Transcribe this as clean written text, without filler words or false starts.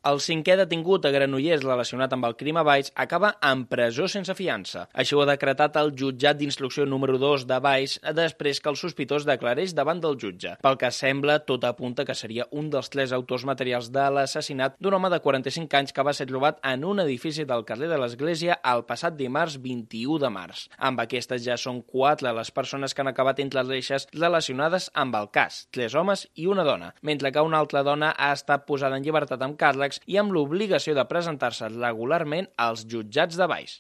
El cinquè detingut a Granollers relacionat amb el crim a Valls acaba en presó sense fiança. Això ho ha decretat el jutjat d'instrucció número 2 de Valls després que el sospitós declarés davant del jutge. Pel que sembla, tot apunta que seria un dels 3 autors materials de l'assassinat d'un home de 45 anys que va ser trobat en un edifici del carrer de l'Església el passat dimarts 21 de març. Amb aquestes ja són 4 les persones que han acabat entre les reixes relacionades amb el cas, 3 homes i una dona, mentre que una altra dona ha estat posada en llibertat amb càrrecs i amb l'obligació de presentar-se regularment als jutjats de Valls.